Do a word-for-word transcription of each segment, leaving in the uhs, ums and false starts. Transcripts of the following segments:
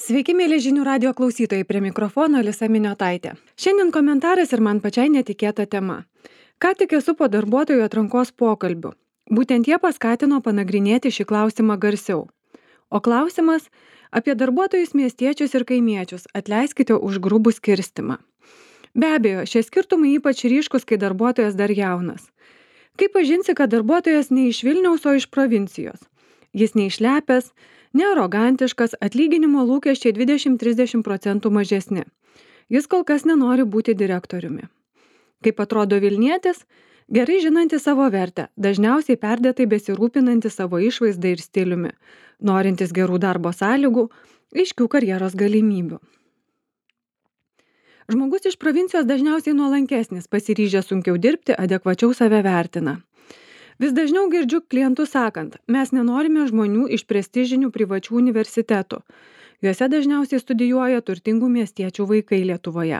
Sveiki, mėly žinių radio klausytojai, prie mikrofono Alisa Miniotaitė. Šiandien komentaras ir man pačiai netikėta tema. Ką tik esu po darbuotojų atrankos pokalbių. Būtent jie paskatino panagrinėti šį klausimą garsiau. O klausimas apie darbuotojus miestiečius ir kaimiečius, atleiskite už grubų skirstimą. Be abejo, šie skirtumai ypač ryškus, kai darbuotojas dar jaunas. Kaip pažinsi, kad darbuotojas ne iš Vilniaus, o iš provincijos? Jis neišlepęs, nearogantiškas, atlyginimo lūkesčiai dvidešimt trisdešimt procentų mažesni. Jis kol kas nenori būti direktoriumi. Kaip atrodo Vilnietis, gerai žinantis savo vertę, dažniausiai perdėtai besirūpinantis savo išvaizdą ir stiliumi, norintis gerų darbo sąlygų, aiškių karjeros galimybių. Žmogus iš provincijos dažniausiai nuolankesnis, pasiryžęs sunkiau dirbti, adekvačiau save vertina. Vis dažniau girdžiu klientus sakant, mes nenorime žmonių iš prestižinių privačių universitetų. Juose dažniausiai studijuoja turtingų miestiečių vaikai Lietuvoje.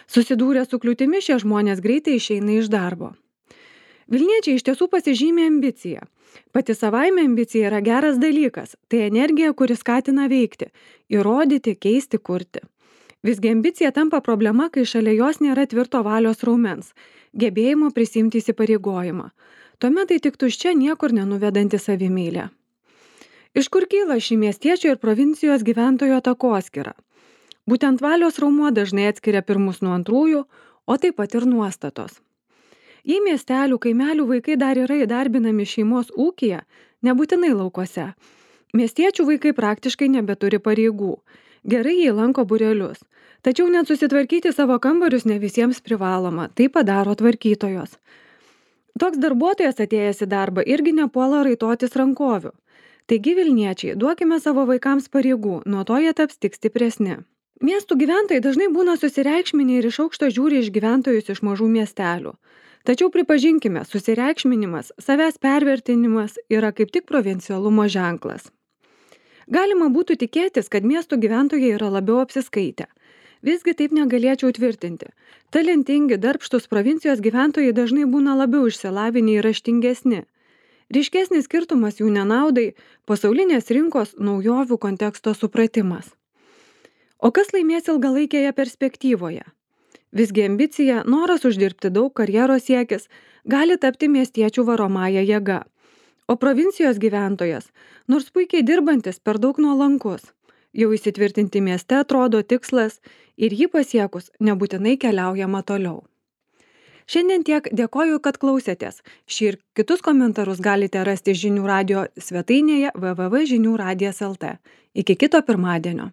Susidūrę su kliūtimi, šie žmonės greitai išeina iš darbo. Vilniečiai iš tiesų pasižymė ambiciją. Pati savaime ambicija yra geras dalykas. Tai energija, kuri skatina veikti, įrodyti, keisti, kurti. Visgi ambicija tampa problema, kai šalia jos nėra tvirto valios raumens, gebėjimo prisimti įsipareigojimą. Tuomet tai tik tuščia, niekur nenuvedanti savimeilė. Iš kur kyla šį miestiečio ir provincijos gyventojo takoskyra? Būtent valios raumuo dažnai atskiria pirmus nuo antrųjų, o taip pat ir nuostatos. Jei miestelių, kaimelių vaikai dar yra įdarbinami šeimos ūkyje, nebūtinai laukuose. Miestiečių vaikai praktiškai nebeturi pareigų. Gerai jie lanko būrelius. Tačiau net susitvarkyti savo kambarius ne visiems privaloma, tai padaro tvarkytojos. Toks darbuotojas atėjęs į darbą irgi nepuola raitotis rankovių. Taigi Vilniečiai, duokime savo vaikams pareigų, nuo to jie taps tik stipresni. Miestų gyventojai dažnai būna susireikšminę ir iš aukšto žiūri iš gyventojus iš mažų miestelių. Tačiau pripažinkime, susireikšminimas, savęs pervertinimas yra kaip tik provincialumo ženklas. Galima būtų tikėtis, kad miestų gyventojai yra labiau apsiskaitę. Visgi taip negalėčiau tvirtinti. Talentingi, darbštūs provincijos gyventojai dažnai būna labiau išsilavinę ir raštingesni. Ryškesnis skirtumas jų nenaudai – pasaulinės rinkos naujovių konteksto supratimas. O kas laimės ilgalaikėje perspektyvoje? Visgi ambicija, noras uždirbti daug, karjeros siekis gali tapti miestiečių varomąja jėga. O provincijos gyventojas, nors puikiai dirbantis, per daug nuolankus. Jau įsitvirtinti mieste atrodo tikslas ir jį pasiekus nebūtinai keliaujama toliau. Šiandien tiek, dėkoju, kad klausėtės. Šį ir kitus komentarus galite rasti žinių radio svetainėje w w w taškas žinių radijas taškas l t. Iki kito pirmadienio.